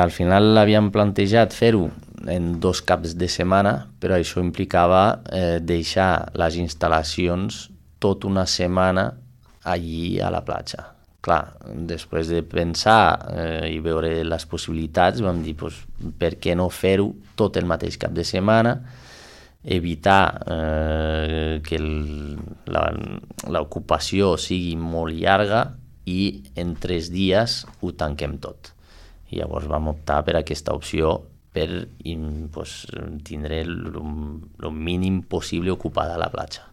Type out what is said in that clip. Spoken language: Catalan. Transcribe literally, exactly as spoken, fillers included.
Al final havíem plantejat fer-ho en dos caps de setmana, però això implicava eh, deixar les instal·lacions tota una setmana allí a la platja. Clar, després de pensar eh, i veure les possibilitats, vam dir, pues, per què no fer-ho tot el mateix cap de setmana, evitar eh, que el, la, l'ocupació sigui molt llarga i en tres dies ho tanquem tot. I llavors vam optar per aquesta opció per pues, tindre el mínim possible ocupada la platja.